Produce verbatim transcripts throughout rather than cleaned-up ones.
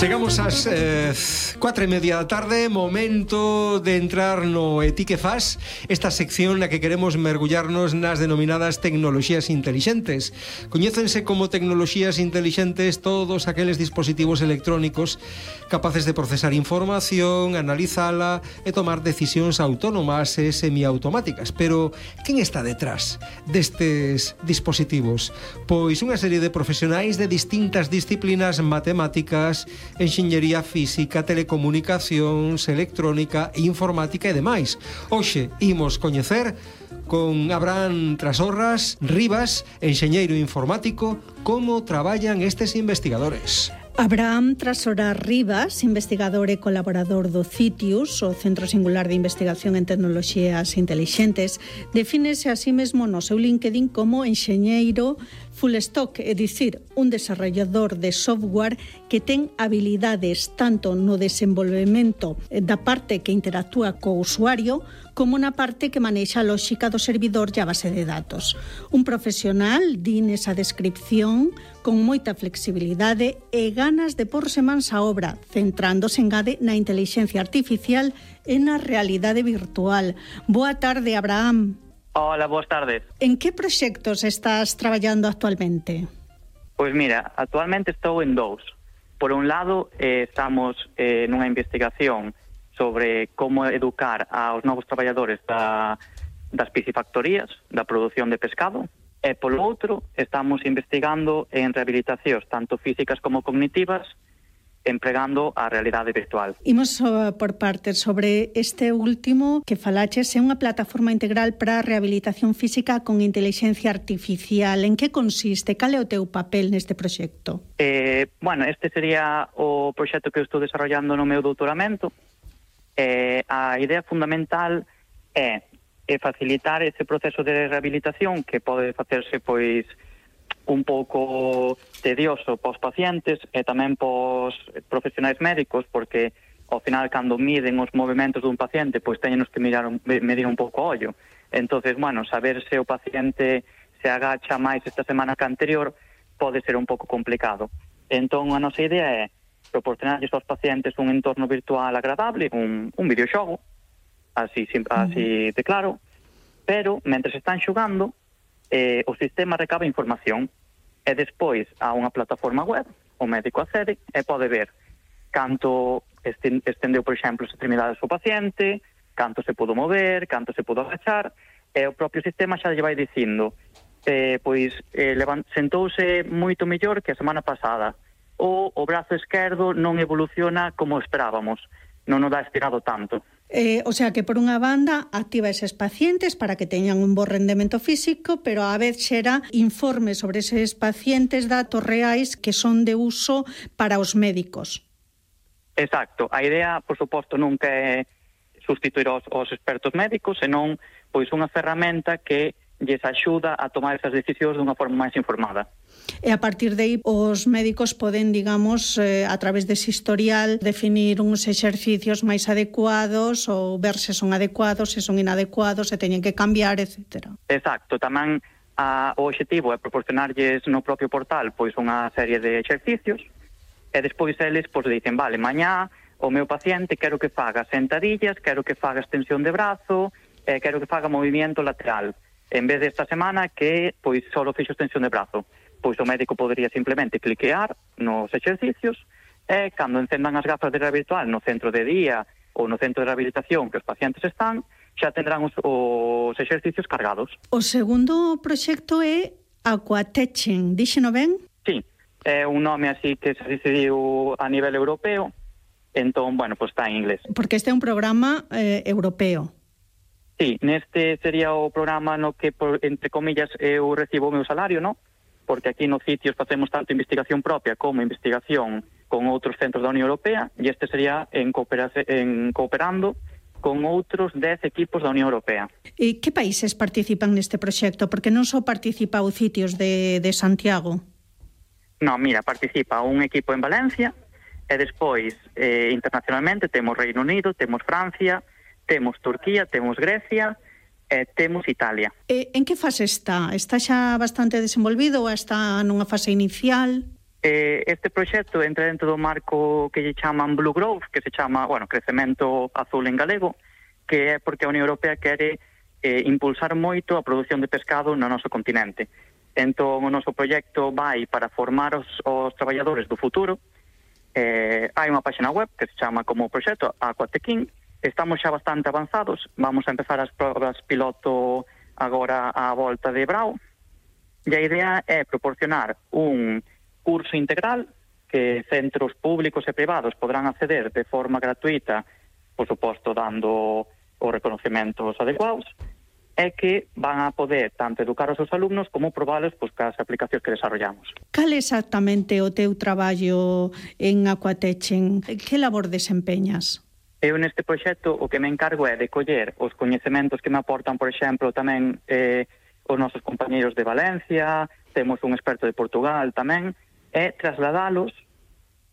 Chegamos ás eh, cuatro e media da tarde, momento de entrar no E Ti que fas, esta sección na que queremos mergullarnos nas denominadas tecnoloxías intelixentes. Coñécense como tecnoloxías intelixentes todos aqueles dispositivos electrónicos capaces de procesar información, analizala e tomar decisións autónomas e semiautomáticas. Pero, quen está detrás destes dispositivos? Pois unha serie de profesionais de distintas disciplinas matemáticas, enxeñería física, telecomunicacións, electrónica, informática e demais. Hoxe imos coñecer con Abraham Trasorras Rivas, enxeñeiro informático, como traballan estes investigadores. Abraham Trasorras Rivas, investigador e colaborador do CITIUS, o Centro Singular de Investigación en Tecnoloxías Intelixentes, defínese a sí mesmo no seu LinkedIn como enxeñeiro full stock, é dicir, un desarrollador de software que ten habilidades tanto no desenvolvemento da parte que interactúa co usuario como na parte que manexa a lógica do servidor e a base de datos. Un profesional, di nesa descripción, con moita flexibilidade e ganas de porse mans á obra, centrándose, engade, na intelixencia artificial e na realidade virtual. Boa tarde, Abraham. Hola, boas tardes. En que proxectos estás traballando actualmente? Pois mira, actualmente estou en dous. Por un lado, eh, estamos eh, nunha investigación sobre como educar aos novos traballadores da, das piscifactorías, da produción de pescado, e polo outro, estamos investigando en rehabilitacións tanto físicas como cognitivas, empregando a realidade virtual. Imos uh, por partes sobre este último que falaches, é unha plataforma integral para a rehabilitación física con intelixencia artificial. En que consiste? Cal é o teu papel neste proxecto? Eh, bueno, este sería o proxecto que eu estou desarrollando no meu doutoramento. Eh, a idea fundamental é, é facilitar ese proceso de rehabilitación que pode facerse, pois, un pouco tedioso pos pacientes e tamén pos profesionais médicos, porque ao final cando miden os movimentos dun paciente, pois teñenos que mirar un, medir un pouco o ollo. Entonces, bueno, saber se o paciente se agacha máis esta semana que anterior pode ser un pouco complicado. Entón, a nosa idea é proporcionarlles aos pacientes un entorno virtual agradable, un, un videoxogo, así, así de claro, pero, mentre están xogando, Eh, o sistema recaba información e despois a unha plataforma web o médico accede e pode ver canto estendeu, por exemplo, as extremidades do paciente, canto se pudo mover, canto se pudo agachar, e o propio sistema xa lle vai dicindo eh, pois eh, levant, sentouse moito mellor que a semana pasada, ou o brazo esquerdo non evoluciona como esperábamos, non o dá estirado tanto. Eh, o sea que, por unha banda, activa eses pacientes para que teñan un bo rendemento físico, pero a vez xera informes sobre eses pacientes, datos reais que son de uso para os médicos. Exacto. A idea, por suposto, nunca é sustituir os, os expertos médicos, senón pois unha ferramenta que lles axuda a tomar esas decisións dunha forma máis informada. E a partir de aí os médicos poden, digamos, eh, a través dese historial, definir uns exercicios máis adecuados ou ver se son adecuados, se son inadecuados, se teñen que cambiar, etcétera. Exacto. Tamén a, o objetivo é proporcionarlles no propio portal pois unha serie de exercicios e despois eles pois dicen, vale, mañá o meu paciente quero que faga sentadillas, quero que faga extensión de brazo, e quero que faga movimento lateral. En vez desta semana que pois só fixo extensión de brazo, pois o médico podería simplemente cliquear nos exercicios e cando encendan as gafas de realidade virtual no centro de día ou no centro de rehabilitación que os pacientes están, xa tendrán os, os exercicios cargados. O segundo proxecto é Aquateching, díxeno ben? Sí, é un nome así que se decidiu a nivel europeo, entón, bueno, pois está en inglés. Porque este é un programa eh, europeo. Sí, neste sería o programa no que, por, entre comillas, eu recibo o meu salario, non? Porque aquí no CITIUS facemos tanto investigación propia como investigación con outros centros da Unión Europea, e este sería en, en cooperando con outros dez equipos da Unión Europea. E que países participan neste proxecto? Porque non só participa o CITIUS de, de Santiago. Non, mira, participa un equipo en Valencia, e despois, eh, internacionalmente, temos Reino Unido, temos Francia, temos Turquía, temos Grecia e temos Italia. E en que fase está? Está xa bastante desenvolvido ou está nunha fase inicial? Eh, este proxecto entra dentro do marco que lle chaman Blue Growth, que se chama, bueno, crecemento azul en galego, que é porque a Unión Europea quere eh, impulsar moito a produción de pescado no noso continente. Entón, o noso proxecto vai para formar os, os traballadores do futuro. Eh, hai unha página web que se chama como proxecto Aquatequín. Estamos xa bastante avanzados. Vamos a empezar as probas piloto agora á volta de Brao. E a idea é proporcionar un curso integral que centros públicos e privados podrán acceder de forma gratuita, por suposto, dando os reconocimientos adecuados, é que van a poder tanto educar os seus alumnos como probalos pois, cas aplicacións que desarrollamos. Cal exactamente o teu traballo en Aquatechen? Que labor desempeñas? Eu neste proxecto o que me encargo é de coller os coñecementos que me aportan, por exemplo, tamén eh, os nosos compañeiros de Valencia, temos un experto de Portugal tamén, é trasladalos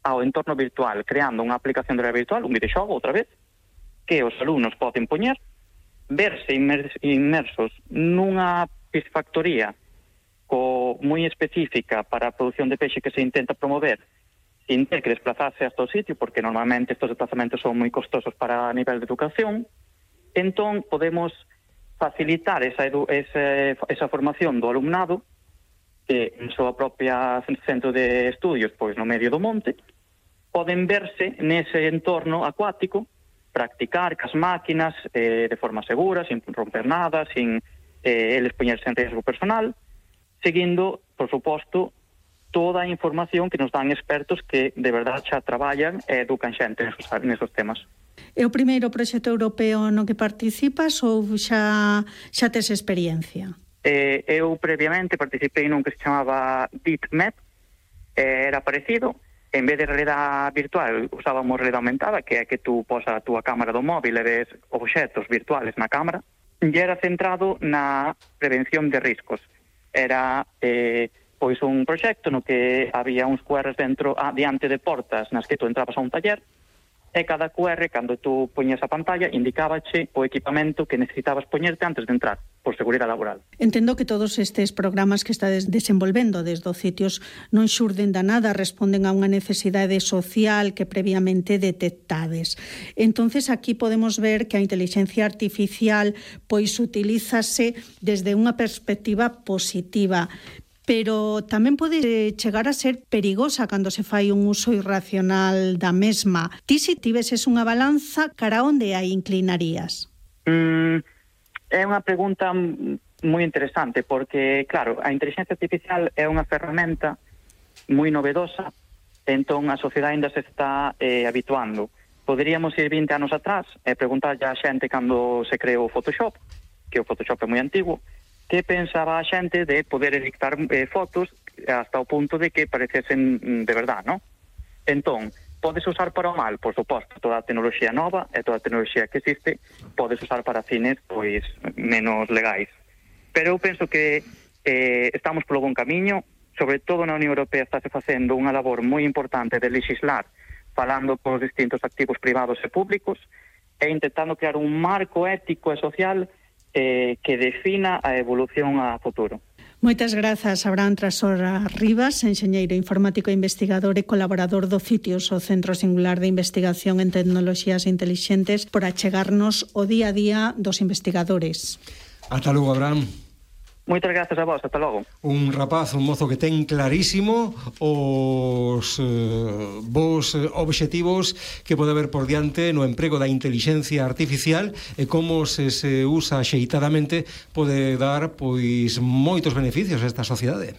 ao entorno virtual, creando unha aplicación de realidade virtual, un videoxogo, outra vez, que os alumnos poden poñer, verse inmersos nunha piscifactoría co moi específica para a produción de peixe que se intenta promover sin ter que desplazarse hasta o sitio, porque normalmente estos desplazamentos son moi costosos para a nivel de educación. Entón, podemos facilitar esa, edu esa, esa formación do alumnado que en súa propia centro de estudios, pois no medio do monte, poden verse nese entorno acuático, practicar cas máquinas eh, de forma segura, sin romper nada, sin eh, eles poñerse en riesgo personal, seguindo, por suposto, toda a información que nos dan expertos que de verdade xa traballan e educan xente nesos, nesos temas. É o primeiro proxecto europeo no que participas ou xa, xa tes experiencia? Eh, eu previamente participei nun que se chamaba DeepMap, eh, era parecido. En vez de realidade virtual, usábamos realidade aumentada, que é que tú posas a túa cámara do móvil e ves obxetos virtuales na cámara, e era centrado na prevención de riscos. Era eh, pois un proxecto no que había uns Q Rs dentro, ah, diante de portas nas que tú entrabas a un taller, e cada Q R, cando tú poñes a pantalla, indicábache o equipamento que necesitabas poñerte antes de entrar, por seguridade laboral. Entendo que todos estes programas que estades desenvolvendo desde os sitios non xurden da nada, responden a unha necesidade social que previamente detectades. Entonces aquí podemos ver que a inteligencia artificial pois utilízase desde unha perspectiva positiva, pero tamén pode chegar a ser perigosa cando se fai un uso irracional da mesma. Ti, se tiveses unha balanza, cara onde a inclinarías? Mm, é unha pregunta moi interesante, porque, claro, a inteligencia artificial é unha ferramenta moi novedosa, entón a sociedade ainda se está eh, habituando. Poderíamos ir vinte anos atrás e preguntarlle a xente cando se creou o Photoshop, que o Photoshop é moi antigo, que pensaba a xente de poder editar eh, fotos hasta o punto de que parecesen de verdad, ¿no? Entón, podes usar para o mal, por suposto, toda a tecnoloxía nova e toda a tecnoloxía que existe, podes usar para fines pois menos legais. Pero eu penso que eh, estamos polo bon camiño, sobre todo na Unión Europea estáse facendo unha labor moi importante de legislar, falando cos distintos activos privados e públicos, e intentando crear un marco ético e social Eh, que defina a evolución a futuro. Moitas grazas, Abraham Trasora Rivas, enxeñeiro informático e investigador e colaborador do CITIUS, o Centro Singular de Investigación en Tecnoloxías Intelixentes, por achegarnos o día a día dos investigadores. Ata logo, Abraham. Moitas grazas a vos, ata logo. Un rapaz, un mozo que ten clarísimo os eh, vos obxectivos que pode haber por diante no emprego da inteligencia artificial e como se se usa xeitadamente pode dar pois moitos beneficios a esta sociedade.